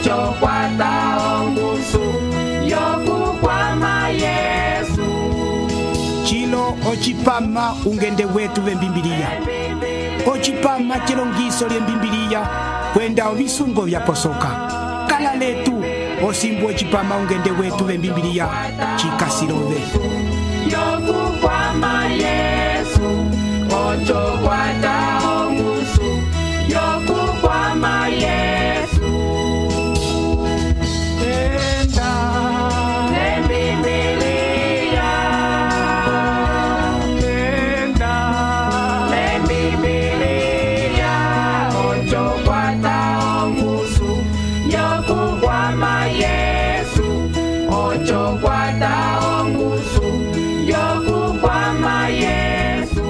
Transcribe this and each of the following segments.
ocho kwata ongusu yokukwama Yesu. Chilo ochipama ungende wetu vembimbiliya. Ochipama chilongiso lyembimbiliya kwenda ovisungo vyaposoka. Kala letu osimbu ochipama ungende wetu vembimbiliya chikasilove. Yokukwama Yesu, ocho kwata ongusu yokukwama Yesu. Enda lembimbiliya, enda lembimbiliya, ocho kwata ongusu yokukwama Yesu, ocho kwata ongusu yokukwama Yesu.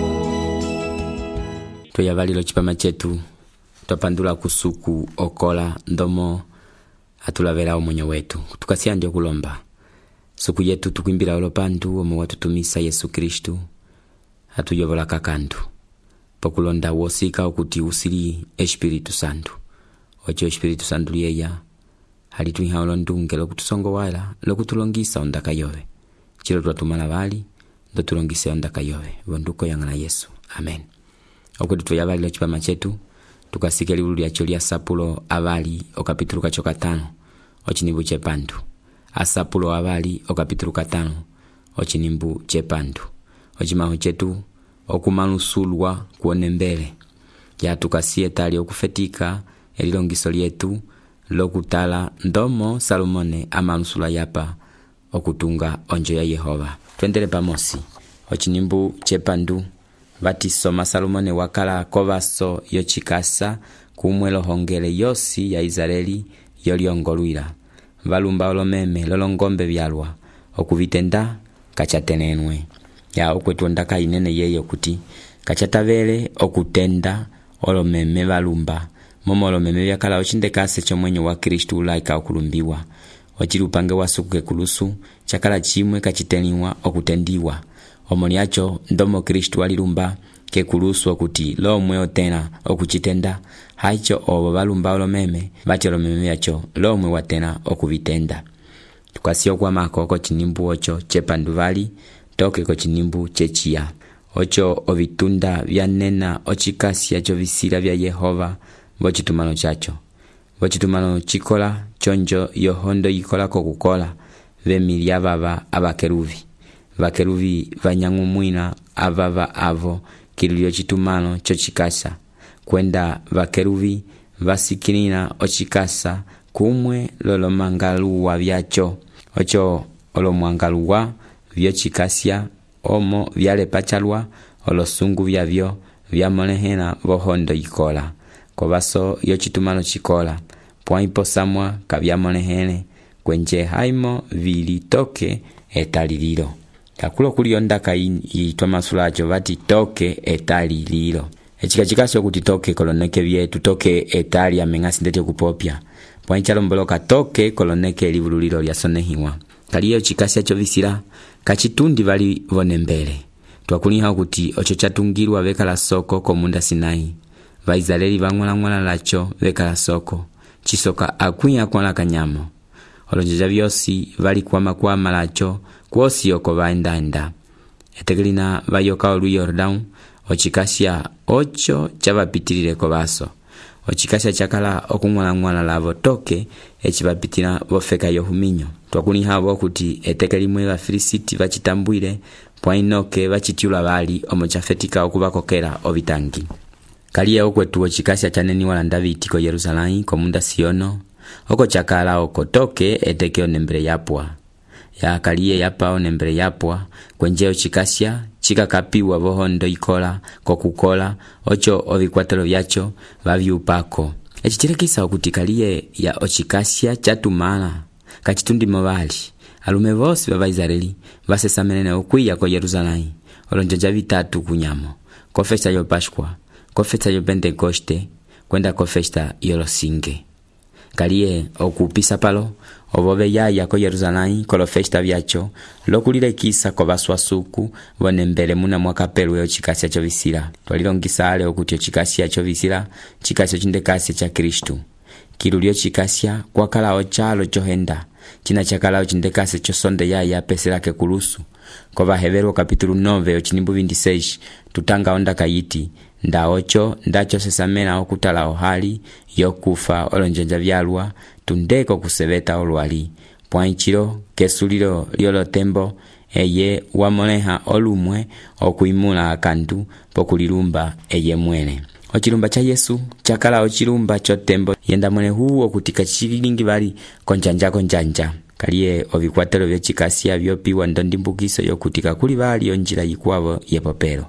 Tuyavalilo chipama chetu twapandula kusuku okola ndomo atulavela omonyo wetu tukasiya ndio kulomba suku yetu tukwimbila olopandu omo watutumisa Yesu Kristu atuyovola kakandu pokulonda wosika okuti usili Espiritu Santu ocho Espiritu Santu liyeya halitwiha olondunge lokutusongowala lokutulongisa ondaka yove chilo twatumala vali ndo tulongise ondaka yove vonduko yangala Yesu amen. Okuti tuyavalilo chipama chetu tukasike libulu lyacho lya Sapulo avali okapitulu kacho 5 ochinimbu chepandu. Asapulo avali okapitulu 5 ochinimbu chepandu. Ochimaho chetu okumanusulwa kuone mbele. Ya tukasie tali okufetika elilongiso lyetu lokutala ndomo Salomone amanusula yapa okutunga onjo ya Yehova. Twendele pamosi. Ochinimbu chepandu vatisoma Salomone wakala kovaso yochikasa kumwelo hongele yosi ya Israeli yolyongolwila. Valumba olomeme lolongombe vyalwa okuvitenda kachatenenwe. Ya okwetu ondaka inene yeye kuti kachatavele okutenda olomeme valumba. Momo olomeme vyakala ochindekase chomwenyo wa Kristu ulaika okulumbiwa. Ochilupange wasuke kulusu chakala chimwe kachiteniwa okutendiwa. Omoniacho ndomo Kristu walilumba ke kulusu okuti lomwe otena okuchitenda haicho obo balumba olomeme bati olomeme yacho lomwe watena okuvitenda. Tukasio kwa makoko chinimbu ocho chepanduvali toke ko chinimbu chechia ocho ovitunda vyanena ochikasi yacho visira vya Yehova vochitumano chacho vochitumano chikola chonjo yohondo yikola kokukola vemilia baba abakeruvi vakeruvi vanyang'umwina avava avo kililio chitumano chochikasa kwenda vakeruvi vasikilina ochikasa kumwe lolomangaluwa vyacho ocho olomwangaluwa vyochikasya omo vyale pachalwa olosungu vyavyo vyamolehena vohondo yikola kovaso yochitumano chikola pwaipo samwa kavyamolehene kwenje haimo vilitoke etalililo. Kakulo kuli ondaka yitwa masulacho vati toke etalililo. Echikachikasyo kuti toke koloneke vyetu toke etali amengasi ndete kupopya. Pwanchalo mboloka toke koloneke livululilo lyasonehiwa. Kaliyo chikasya chovisira kachitundi vali vonembele. Twakuliha kuti ocho chatungirwa vekala soko komunda Sinai. Vaizaleli vangwala lacho vekala soko. Chisoka akuya kwa kanyamo. Olonjeja vyosi vali kwa malacho kwosi yoko vaenda. Etegelina vayoka olu Yordan ochikasya ocho chavapitilile kovaso. Ochikasya chakala okungwala lavo toke echivapitila vofeka yohuminyo. Twakuni havo kuti etegelimwe va Filisiti vachitambwile pwainoke vachitiula vali omochafetika okuvakokela ovitangi. Kaliye okwetu ochikasya chaneni wala Davidi ko Yerusalemu komunda Siono oko chakala oko toke eteke onembele yapwa. Ya kaliye yapa onembele yapwa kwenjeo chikasya chikakapiwa vohondo ikola kokukola ocho ovikwatelo vyacho vavyupako. Echichirekisa okuti kaliye ya ochikasya chatumana kachitundi movali alume vosi va Israeli vasesamenene okwiya ko Yerusalemu olonjeja vitatu kunyamo ko festa yo Pascua ko festa yo Pentecoste kwenda ko festa yolosinge. Kaliye okupisa palo obove yaya ko Yerusalemu ko festa vyacho lokulile kisa ko baswasuku vonembele muna mwakapelwe ochikasya chovisira twalilongisa ale okuti ochikasya chovisira chikasya chindekasya cha Kristu kilulio chikasya kwakala ochalo chohenda china chakala ochindekase chosonde yaya pese lake kulusu. Kova Hebrew capítulo 9 ochinimbu 26 tutanga onda kayiti nda ocho ndacho sesamena okutala ohali yokufa olonjenja vyalwa tundeko kusebeta olwali pwanchiro kesulilo liolo tembo eye wamoleha olumwe okuimula akantu pokulilumba eye mwene. Ochilumba cha Yesu chakala ochilumba chotembo yenda mwene huo kutika chilingi bali konjanja kaliye ovikwatelo vyochikasya vyopiwa ndondimbukiso yokutika kuli bali onjila yikwavo yepopelo.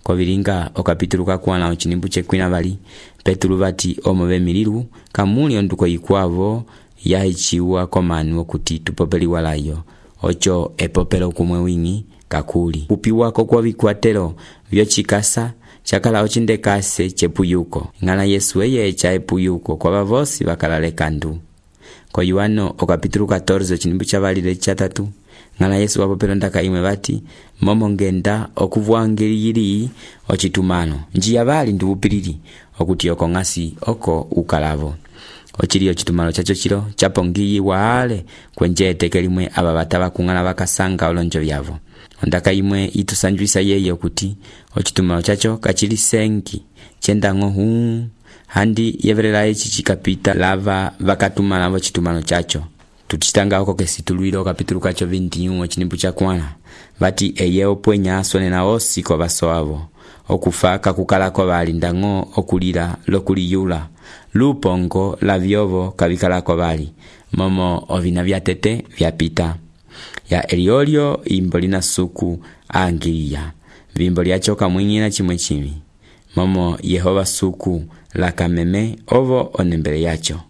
Kovilinga okapitulu kakwana ochinimbu chekwina bali Petulu bati omove mililu kamuli onduko yikwavo yahichiwa komanu okuti tupopeli walayo ocho epopelo kumwe wingi kakuli kupiwako kwa vikwatelo vyochikasa chakala ochindekase chepuyuko ngana Yesu eye cha epuyuko kwa bavosi bakalale kandu. Ko Yohano okapitulu 14 ochinimbu chabalile chatatu ngana Yesu wapopelo ndaka imwe bati momo ngenda okuvwangilili ochitumano njia bali ndubupilili okuti oko ngasi oko ukalavo. Ochilio chitumano chacho chilo chapongiyi waale kwenje tekelimwe aba bataba kungana bakasanga olonjo byavo. Ondaka imwe itusanjwisa yeye okuti ochitumano chacho kachili sengi chendango hu handi yeverela echi chikapita lava vakatumana vo chitumano chacho. Tutitanga oko kesituluilo kapitulu kacho 21 ochinimbu chakwana bati eye opwenya asone na osi kwa basoavo okufaka kukalako bali ndango okulira lokuliyula lupongo la vyovo kabikalako bali momo ovina vyatete vyapita ya eliolio imbolina suku angiliya vimbo lyachoka mwingina chimwe chimi momo Yehova suku la kameme ovo onembele yacho.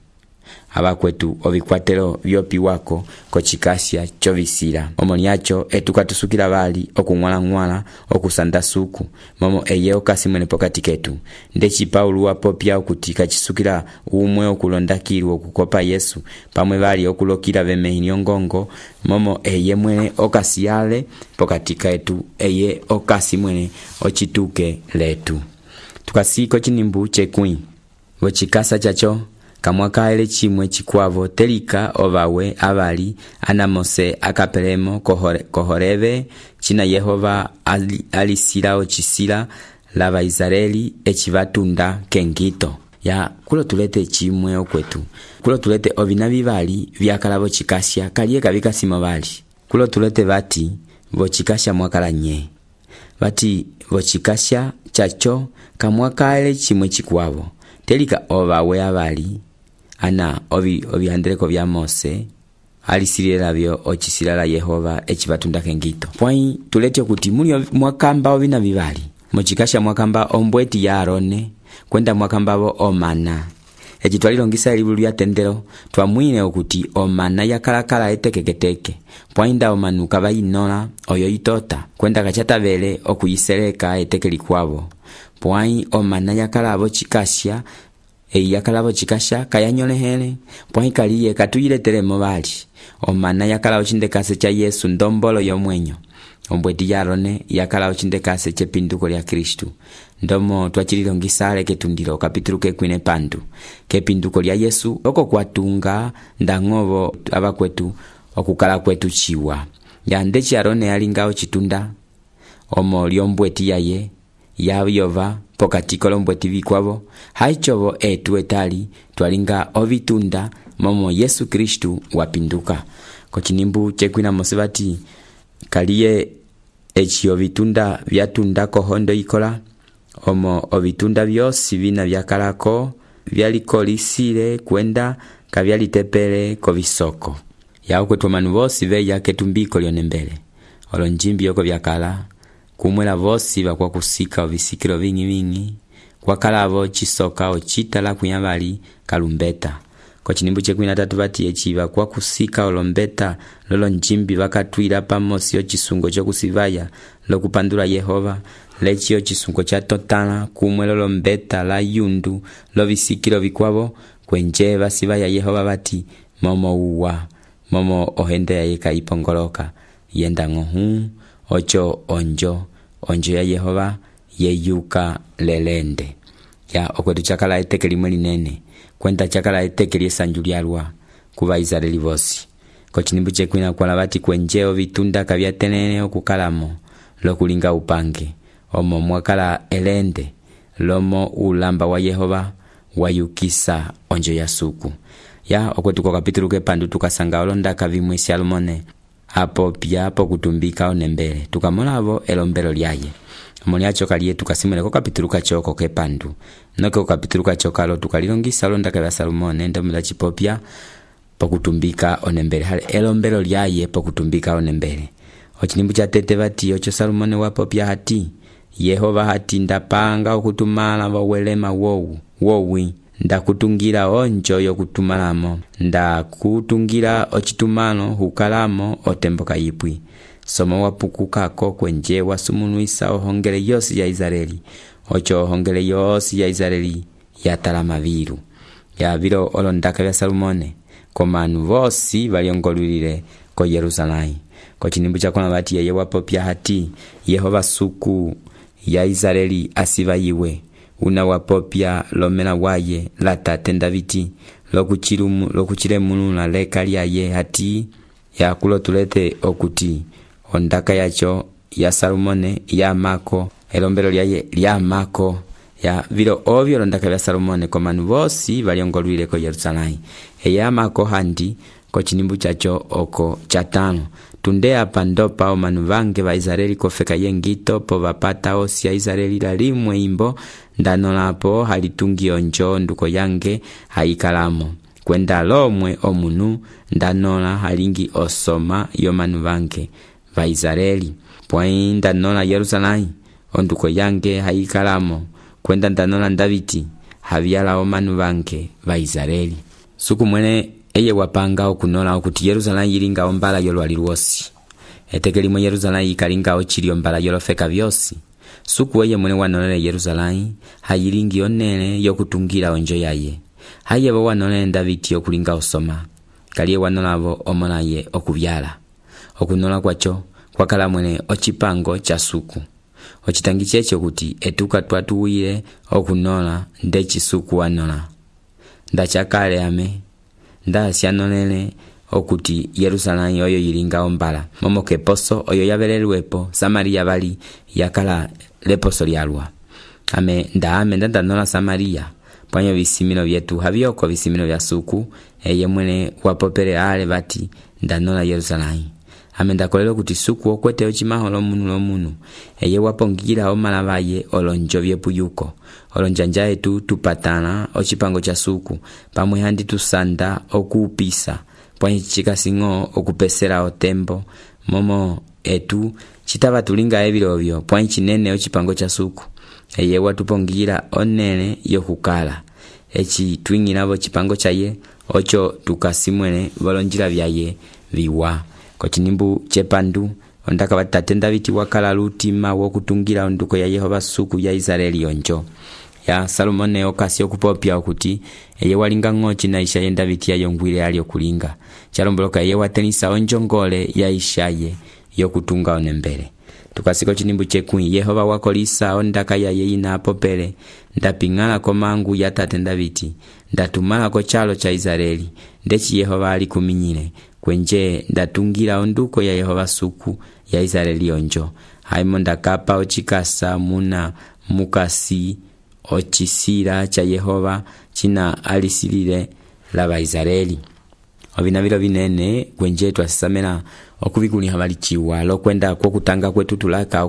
Abakwetu ovikwatelo vyopiwako kochikasya chovisira omoni yacho etukatusukila bali okungwala okusanda suku momo eye okasimwene pokati ketu ndechi Paulo wapopya okutika chisukila umwe okulondakirwa okukopa Yesu pamwe bali okulokila bemehini ngongo momo eye mwene okasiyale pokati ketu eye okasimwene ochituke letu. Tukasiko chinimbu chekwi wochikasa chacho kamwakaele chimwe chikwavo telika ovawe abali anamose akapelemo kohoreve china Yehova alisila ochisila lava Israeli echivatunda kengito ya kulo tulete chimwe okwetu kulo tulete ovina bibali vyakalavo chikasya kaliye kabikasimo bali kulo tulete bati vochikasya mwakala nye bati vochikasya chacho kamwakaele chimwe chikwavo telika ovawe abali ana ovihandeleko vya Mose alisirila vyo ochisila la Yehova echivatunda kengito. Pwai tulete kuti muli mwakamba ovina vivali mochikasha mwakamba ombweti ya Arone kwenda mwakamba vo omana echitwalilongisa libulu lya tendero twamwine okuti omana yakalakala etekeketeke pwainda omanuka bayinola oyo itota kwenda kachatabele okuyiseleka etekeli kwavo pwai omana yakalavo chikasya yakalavo chikasha kayanyolehele pwai kaliye katuyiletelemo bali omana yakalavo chindekase cha Yesu ndombolo yomwenyo ombweti ya Arone yakalavo chindekase chepinduko lya Kristu ndomo twachililongisale ketundilo kapitulu kekwine pandu kepinduko lya Yesu oko kwatunga ndangovo abakwetu okukala kwetu chiwa yandechi Arone yalingao chitunda omo lyombweti yaye yayova pokatiko lombweti vikwavo haichovo etu etali twalinga ovitunda momo Yesu Kristu wapinduka kochinimbu chekwina mosebati kaliye echi ovitunda vyatunda kohondo ikola omo ovitunda vyosi vina vyakalako vyalikolisile kwenda kavyalitepele kovisoko yao kwetu manu vosi veya ketumbiko lyonembele olonjimbi yoko vyakala kumwela vosi bakwa kusika ovisikilo vingi kwa kalavo chisoka ochitala kunyabali kalumbeta kochinimbu chekwina tatu bati echiva kwa kusika olombeta lolo njimbi bakatwila pamosi ochisungo chokusivaya lokupandula Yehova lechi ochisungo cha totala kumwe lolo mbeta la yundu lo visikilo vikwavo kwenje basivaya Yehova bati momo uwa momo ohende ya yeka ipongoloka yenda ngohu ocho onjo ya Yehova yeyuka lelende ya okwetu chakala eteke limwe linene kwenda chakala eteke lyesanju lyalwa kuva Israeli vosi. Kochinimbu chekwina kwala bati kwenjeo vitunda kabyatenene okukalamo lokulinga upange omo mwakala elende lomo ulamba wa Yehova wayukisa onjo ya suku. Ya okwetu kwa kapitulu kepandu tukasanga olondaka vimwe Salomone apo pia po kutumbika onembele tukamolavo elombelo lyaye omoni acho kaliye tukasimule ko kapitulu kachoko kepandu noke ko kapitulu kachokalo tukalilongisa olondaka vya Salomone ndomula chipopya po kutumbika onembele hale elombelo lyaye po kutumbika onembele. Ochinimbu cha tete bati ocho Salomone wapopya hati Yehova hati ndapanga okutumala wawelema wowi ndakutungira onjo yokutumalamo ndakutungira ochitumano hukalamo otembo kayipwi somo wapukukako kwenje wasumunuisa ohongele yosi ya Israeli ocho ohongele yosi ya Israeli yatalama viru ya vilo olondaka vya Salomone komanu vosi valiongolulile ko Yerusalemu. Kochinimbu chakona bati yeye wapopya hati Yehova suku ya Israeli asiva yiwe una wapopya lomela waye latate Davidi lokuchile munula leka lyaye hati ya kulotulete okuti ondaka yacho ya Salomone ya mako elombelo lyaye lya mako ya vilo ovyo londaka vya Salomone komanu vosi valiongolwile ko Yerusalemu eya mako handi kochinimbu chacho oko chatano tunde apa ndopa omanu vange va Israeli kofeka yengito po vapata osi ya Israeli lalimwe imbo ndanolapo halitungi onjo nduko yange haikalamo kwenda lomwe omunu ndanola halingi osoma yomanu vange va Israeli pwai ndanola Yerusalemu onduko yange haikalamo kwenda ndanola Davidi havyala omanu vange va Israeli. Suku mwene eye wapanga okunola okuti Yerusalemu yilinga ombala yolwali lwosi eteke limwe Yerusalemu yikalinga ochili ombala yolofeka vyosi. Suku eye mwene wanolele Yerusalemu hayilingi onele yokutungira onjo yaye hayebo wanolele Davidi yokulinga osoma kaliye wanolavo omolaye okuvyala okunola kwacho kwakala mwene ochipango cha suku ochitangi checho kuti etuka twatuwile okunola ndechi suku wanola ndachakale ame ndasyanolele okuti Yerusalemu oyo yilinga ombala momo keposo oyo yabelelwepo Samaria bali yakala leposo lyalwa ame ndanola Samaria pwanyo visimino vyetu havyoko visimino vya suku eye mwene wapopele ale bati ndanola Yerusalemu ame ndakolelo kuti suku okwete ochimaho lomunu eye wapongira omalavaye olonjo vyepuyuko olonjanja etu tupatana ochipango cha suku pamwe handi tusanda okupisa pwanyi chikasingo okupesera otembo momo etu chitava tulinga ebilovyo pwanyi chinene ochipango cha suku eye watupongira onele yokukala echi twingilavo chipango chaye ocho tukasimwene volonjila vyaye viwa. Kochinimbu chepandu ondaka batate Davidi wakala lutima wokutungira onduko ya Yehova suku ya Israeli onjo ya Salomone okasi okupopya okuti eye walinga ngochi na ishaye Davidi yayongwile ali okulinga chalomboloka eye watenisa onjongole ya ishaye yokutunga onembele. Tukasiko chinimbu chekui Yehova wakolisa ondaka yaye inapopele ndapingala komangu ya tate Davidi ndatumala ko chalo cha Israeli ndechi Yehova ali kuminyile kwenje ndatungira onduko ya Yehova suku ya Israeli onjo haimo ndakapa ochikasa muna mukasi ochisira cha Yehova china alisilile laba Israeli ovinavilo vinene kwenje twasamela okubikuni habali chiwa lokwenda kwa kutanga kwetu tulaka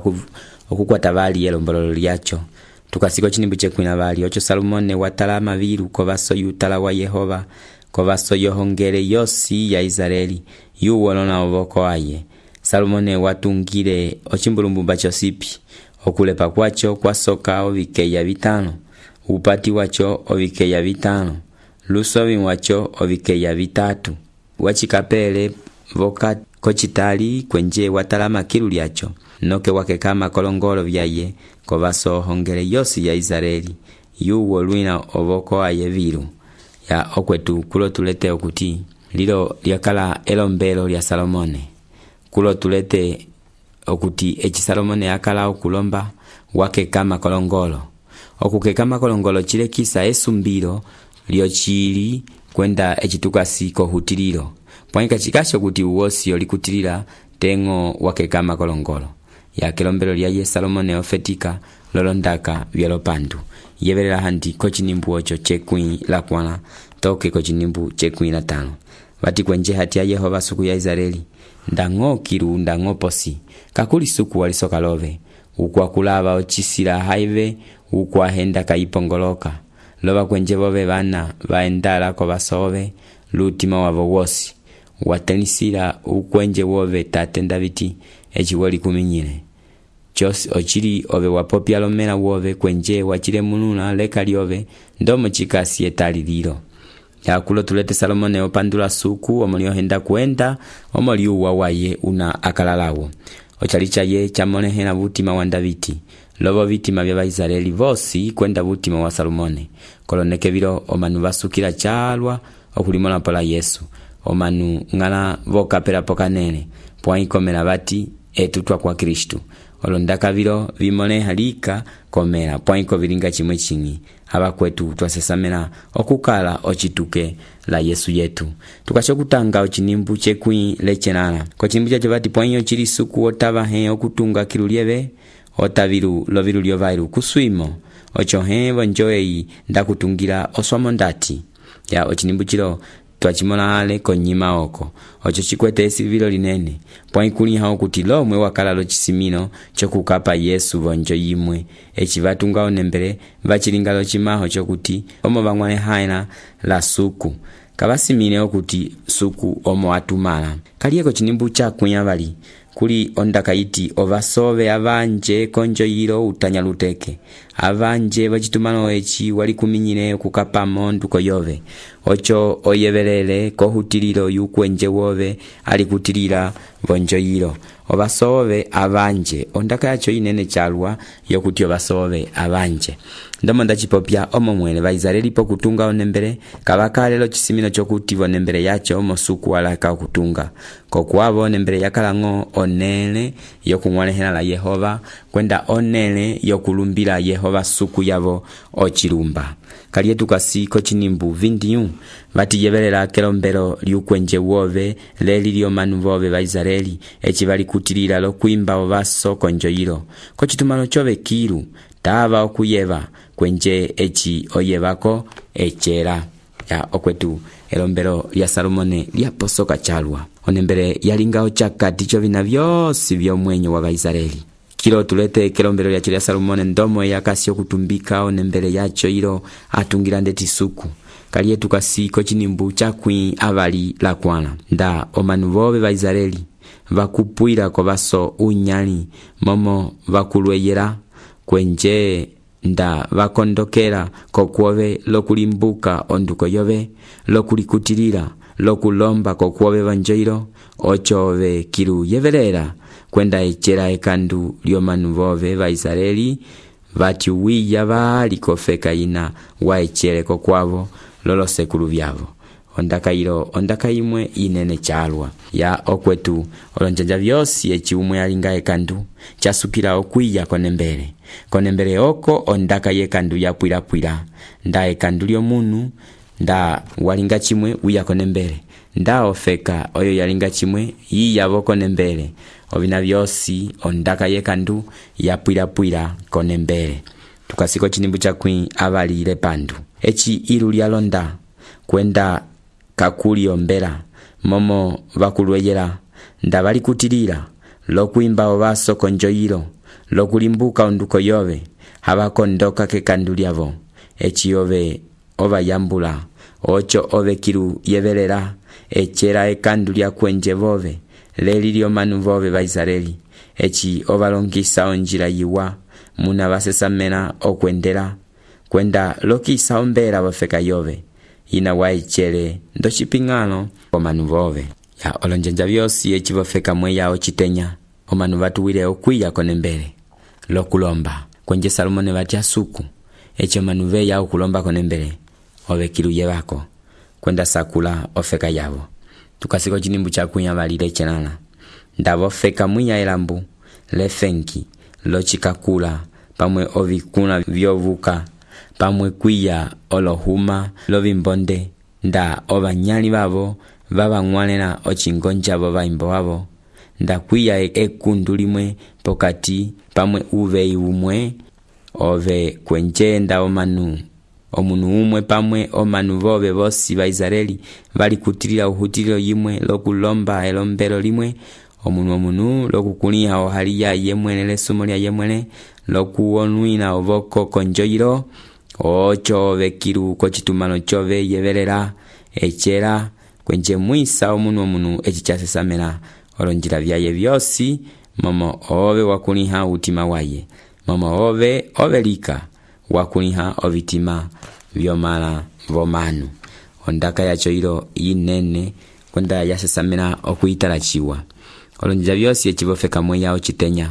okukwata bali elombolo lyacho. Tukasiko chinimbu chekwina bali ocho Salomone watalama viru kovaso yutala wa Yehova kovaso yohongele yosi ya Israeli yuwolona ovoko aye. Salomone watungire ochimbulumbumba chosipi okulepa kwacho kwasoka ovikeya vitano upati wacho ovikeya vitano lusovi wacho ovikeya vitatu wachikapele voka kochitali kwenje watalama kilu lyacho noke wakekama kolongolo vyaye kovaso hongele yosi ya Israeli yuwolwina ovoko aye viru ya okwetu kulo tulete okuti lilo lyakala elombelo lya Salomone kulo tulete okuti echi Salomone yakala okulomba wake kama kolongolo okukeka makolongolo chilekisa esumbilo lyochili kwenda echitukasi kohutililo pwaika chikasho kuti uwosi olikutilila tengo wakeka makolongolo ya kelombelo lya ye Salomone ofetika lolondaka vyalopandu yevelela handi kochinimbu ocho chekwi la kwana toke kochinimbu chekwi la tano vati kwenje hati ya Yehova suku ya Israeli ndango kiru ndango posi kakuli suku walisoka love ukwa kulava ochisila haive ukwa henda kaipongoloka lova kwenje vove vana vaendala ko vasove lutima wavo wosi watenisila ukwenje wove tatenda viti echiwoli kuminyile chos ochili ove wapopya lomela wove kwenje wachile mununa leka lyove ndomo chikasi etalililo yakulo tulete Salomone opandula suku omoliohenda kuenda omoliuwa waye una akalalawo ochalicha ye chamonehela vutima wa Daviti lovo vitima vya Israeli vosi kwenda vutima wa Salomone koloneke vilo omanu vasukila chalwa okulimola pola Yesu omanu ngala vokapela pokanene pwaikomela vati etutwa kwa Kristu olondaka vilo vimoneha lika komela pwaiko vilinga chimwe chingi haba kwetu twasesamela okukala ochituke la Yesu yetu tukashokutanga ochinimbu chekwi lechenala kochinimbu chacho vati pwainyo chili suku otava he okutunga kilulieve otavilu lovilu lyovailu kuswimo ocho he vonjoei ndakutungira oswamo ndati ya ochinimbu chilo twachimola ale konyima oko ocho chikwete esivilo linene pwaikuli hao kuti lomwe wakala lo chisimino chokukapa Yesu vonjo yimwe echivatunga onembele vachilinga lo chimaho chokuti omo vangwane haina la suku kabasimine okuti suku omo atumala kalieko chinimbu chakunya vali kuli ondaka iti ovasove avanje konjo yilo utanyaluteke avanje vachitumano echi wali kuminyine kukapa mondu koyove ocho oyevelele kohutililo yukwenje wove alikutilila vonjo yilo ovasove avanje ondaka yacho inene chalwa yokuti ovasove avanje ndomo ndachipopya omomwele Vaisraeli pokutunga onembele kabakalelo chisimino chokuti vonembele yacho omosuku walaka okutunga kokuavo onembele yakalango onele yokungwanehela la Yehova kwenda onele yokulumbila Yehova suku yavo ochilumba kalietu kasi kochinimbu vindiyu vati yevelela kelombelo lyukwenje wove leli lyomanu vove Vaisraeli echi vali kutilila lokuimba ovaso konjo yilo kochitumano chove kilu tava okuyeva kwenje echi oyevako echera ya okwetu elombelo lya Salomone lyaposoka chalwa onembele yalingao chakati chovina vyosi vyomwenyo wa Vaisraeli kilo tulete kelombelo lyacho lya Salomone ndomo yakasi okutumbika onembele yacho ilo atungira ndeti suku kalietu kasi kochinimbu chakwi avali la kwana nda omanu vove Vaisraeli vakupuila ko vaso unyali momo vakulweyela kwenje nda vakondokela kokuove lokulimbuka onduko yove lokulikutilila lokulomba kokuove vanjoilo ochove kilu yevelela kwenda echera ekandu lyomanu vove Vaisraeli vati wiya vali kofeka ina wa echere kokuavo lolo sekulu vyavo ondaka imwe inene chalwa ya okwetu olonjanja vyosi echi umwe alinga ekandu chasukila okwiya konembele oko ondaka yekandu yapwila nda ekandu lyomunu nda walinga chimwe wiya konembele nda ofeka oyo yalinga chimwe yiyavo konembele ovina vyosi ondaka yekandu yapwila konembele tukasiko chinimbu chakwi avalile pandu echi ilu lyalonda kwenda kakuli ombela momo vakulweyela nda vali kutilila lokuimba ovaso konjo yilo lokulimbuka onduko yove havakondoka kekandu lyavo echi ove ovayambula ocho ove kilu yevelela echera ekandu lya kwenje vove leli lyomanu vove Vaisraeli echi ovalongisa onjila yiwa muna vasesamena okwendela kwenda lokisa ombela vofeka yove ina waichere ndochipingano omanu vove ya olonjanja vyosi echi vofeka mwe yao chitenya omanu vatuwile okwiya konembele lokulomba kwenje Salomone vati asuku echi omanu ve yao kulomba konembele ove kilu yevako kwenda sakula ofeka yavo tukasiko chinimbu chakunya valile chenana ndavo feka mwiya elambu lefenki lochikakula pamwe ovikuna vyovuka, pamwe kwiya olohuma lovimbonde, nda ovanyali babo babang'walela ochingonja bo baimbo babo, nda kwiya ekundu limwe pokati pamwe uveyi umwe ove kwenjenda omanu umwe pamwe omanu bobe bosi ba Israeli bali kutilila uhutililo yimwe lokulomba elombelo limwe omunu lokukuliha ohaliya yemwene lesumo lya yemwene lokuonwina oboko konjoyilo ocho ove kilu kochitumano chove yevelela echela kwenje mwisa omunu echichasesamela olonjila vyaye vyosi momo ove wakuliha utima waye momo ove lika wakuliha ovitima vyomala vomanu ondaka yacho ilo inene kwenda yasesamela okuyitalachiwa olonjila vyosi echivofeka mweya ochitenya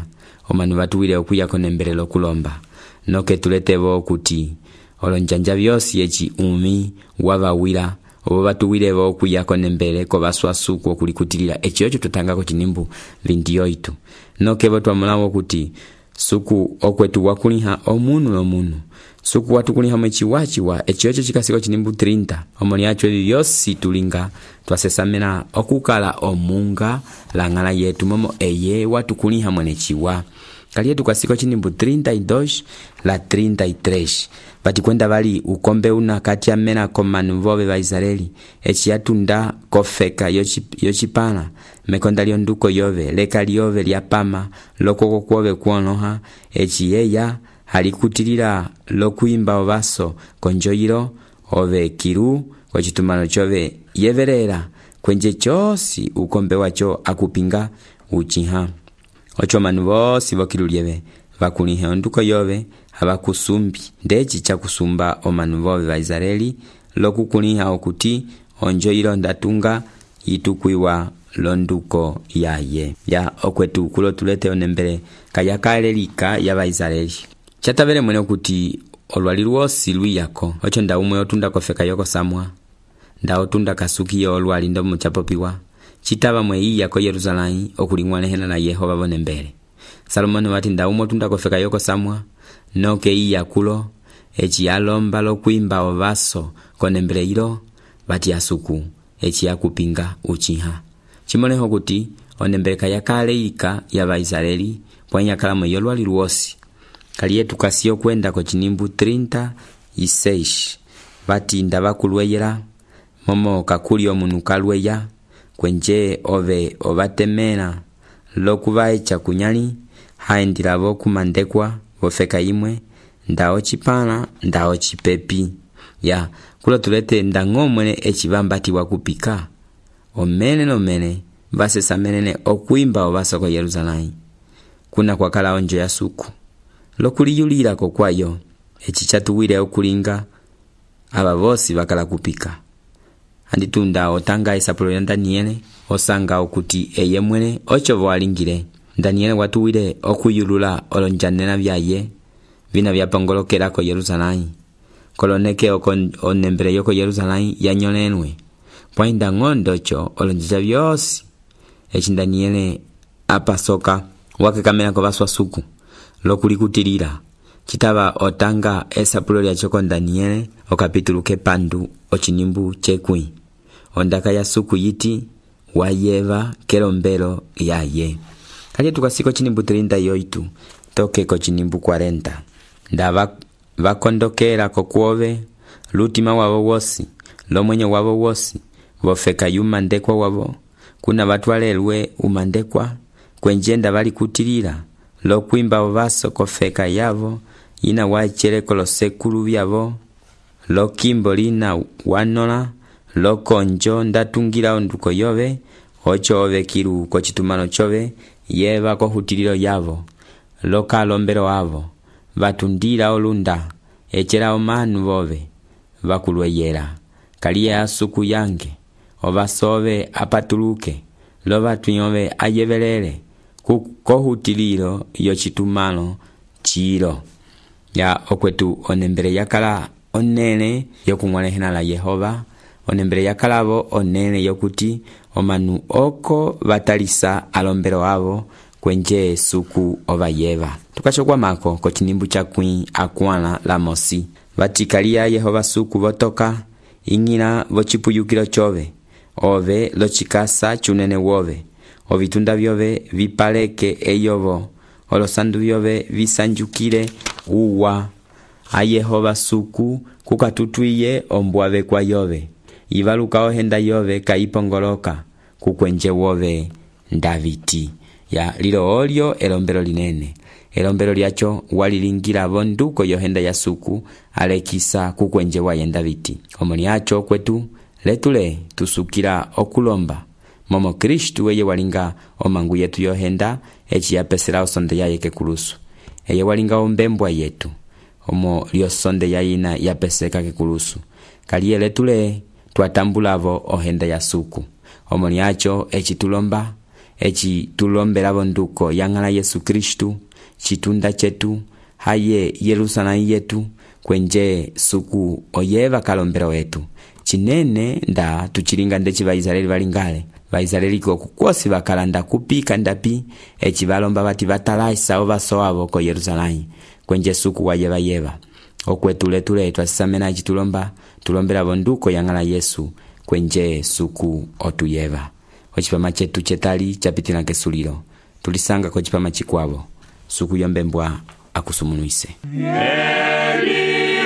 omanu batuwile okuyako nembele lokulomba noke tuletebo kuti olonjanja vyosi echi umi wabawila obo batuwile bo okuyako nembele ko baswasuku okulikutilila echi ocho tutangako chinimbu 28 noke bo twamulawo kuti suku okwetu wakuliha omunu suku watukuliha mwechiwachiwa echi ocho chikasiko chinimbu 30 omoni acho vyosi tulinga twasesamela okukala omunga langala yetu momo eye watukuliha mwenechiwa kaliye tukasiko chinimbu 32 la 33 bati kwenda bali ukombe una kati ya mena komanu vobe ba Israeli echi yatunda kofeka yochipana mekonda lionduko yove leka liove lyapama lokoko kuove kuonoha echi yeya halikutilila lokuimba obaso konjoyilo ove kiru kwa chitumano chove yeverera kwenje chosi ukombe wacho akupinga uchiha ocho manu bosi bokilulieve bakulihe onduko yove abakusumbi ndechi chakusumba omanu bobe ba Israeli lokukuliha okuti onjoyilo ndatunga yitukwiwa londuko yaye ya okwetu kulo tulete onembele kayakalelika ya ba Israeli chatabele mwene okuti olwali lwosi lwiyako ocho nda umwe otunda kofeka yoko samwa nda otunda kasuki yo olwali ndo muchapopiwa chitaba mwe yako Yerusalemu okulingwanehena na Yehova bonembele Salomoni wati nda umwe otunda kofeka yoko samwa noke iyakulo echi alomba lokuimba obaso konembele ilo bati asuku echi yakupinga uchiha chimoneho kuti onembele kayakaleika ya ba Israeli pwanya kalamo yolwali lwosi kaliye tukasiyo kwenda ko chinimbu 36 bati ndabakulweyela momo kakuli omunu kalweya kwenje ove obatemela lokuba echa kunyali haendila bo kumandekwa bofeka imwe ndao chipana ndao chipepi ya kulo tulete ndangomwene echibambati wakupika omene nomene basesamene okuimba obaso ko Yerusalemu kuna kwakala onjo ya suku lokuliyulira ko kwayo echichatuwile okulinga aba bosi bakala kupika anditunda otanga esapulo ya Daniele osanga okuti eye mwene ocho bwalingire Daniele watuwile okuyulula olonjanena byaye bina byapongolokera ko Yerusalemu koloneke onembele yoko Yerusalemu yanyolenwe poinda ngondo cho olonjija byosi echi Daniele apasoka wakekamela ko baswasuku lokulikutilira chitaba otanga esapulo lya choko Daniele okapitulu kepandu ochinimbu chekwi ondaka ya suku yiti wayeva kelombelo yaye kali tukasiko chinimbu 38 toke ko chinimbu 40 nda bakondokera ko kuove lutima wabo wosi lomwenye wabo wosi bofeka yumandekwa wabo kuna batwalelwe umandekwa kwenjenda bali kutilira lokuimba obaso kofeka yabo ina wacheleko losekulu byabo lokimbo lina wanola lokonjo ndatungira onduko yove ocho ove kiru ko chitumano chove yeba ko hutiliro yabo lokalombero abo batundira olunda echera omanu bobe bakulweyera kaliya asuku yange obasove apatuluke lobatuyove ayebelele ko hutiliro yo chitumano chiro ya okwetu onembele yakala onene yokumwalehena la Yehova onembele yakalabo onene yokuti omanu oko batalisa alombero abo kwenje suku ovayeva. Tukachokwamako kocinimbu cakwĩ akwãla la mosi. Vatikaliya Yehova suku votoka ing'ila vocipuyukilo cove, ove locikasa cunene wove, ovitunda vyove vipaleke eyovo, olosandu vyove visanjukile uwa. A Yehova suku kukatutwiye ombwave kwa yove, ivaluka ohenda yove kaipongoloka kukwenje wove Daviti. Ya lilo olyo elombelo linene. Elombelo lyacho walilingila vonduko yohenda ya suku alekisa kukwenje waye Daviti. Omoni acho kwetu letule tusukila okulomba momo Kristu eye walinga omangu yetu yohenda eci yapesela osonde yaye kekulusu. Eye walinga ombembwa yetu omo lyosonde yayina yapeseka kekulusu. Kaliye letule tuatambulavo ohenda ya suku. Omoni acho eci tulomba, eci tulombela vonduko yang'ala Yesu Kristu, chitunda chetu, haye Yerusalemu yetu, kwenje suku oyeva kalombela wetu. Chinene nda tuchilinga ndechi Vaisraeli valingale. Vaisraeli kukosi vakalanda kupika ndapi, eci valomba vati vatalaisa ovaso avo ko Yerusalemu, kwenje suku wayeva yeva. Okwetu letule twasisamena eci tulombela vonduko yang'ala Yesu, kwenje suku otuyeva. Ochipama chetu chetali chapitila kesulilo, tulisanga ko chipama chikwavo, suku yombembwa akusumunuise.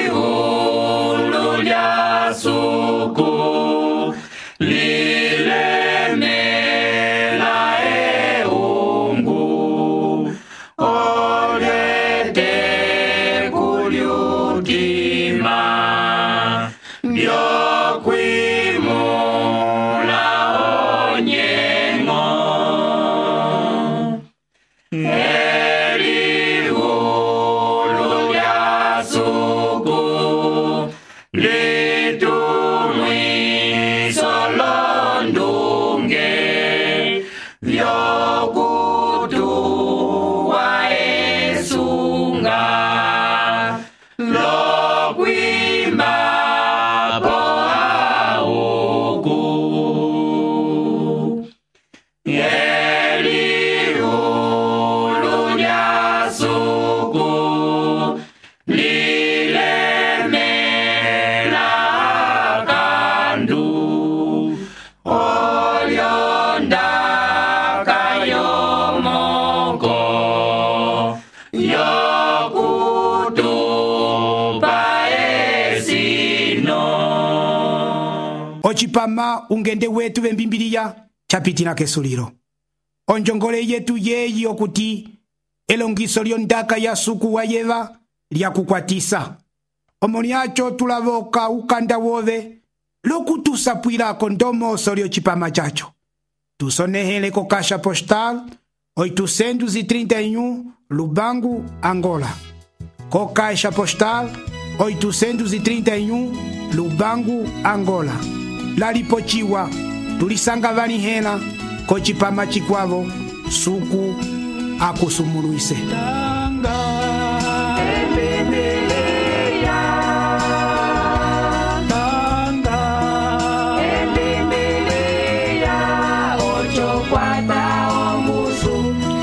Elihulu lya suku lilemela eungu, olete kulyutima byokwimula onyengo. Elihulu lya suku litumwiso londunge vyokutuwa esunga lokwimba po auku. Elihulu lya suku lilemela kandu olyondaka yomoko yokutupa esino. Ochipama ungende wetu vembimbiliya chapitila kesulilo. Onjongole yetu yeyi okuti elongiso lyondaka ya suku wayeva lyakukwatisa. Omoni acho tulavoka ukanda wove lokutusapwilako ndomoso lyochipama chacho. Tusonehele ko Caixa Postal 831 Lubangu, Angola. Ko Caixa Postal 831 Lubangu, Angola. Lalipochiwa tulisanga vanihela ko chipama chikwavo suku akusumuluise.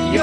Yo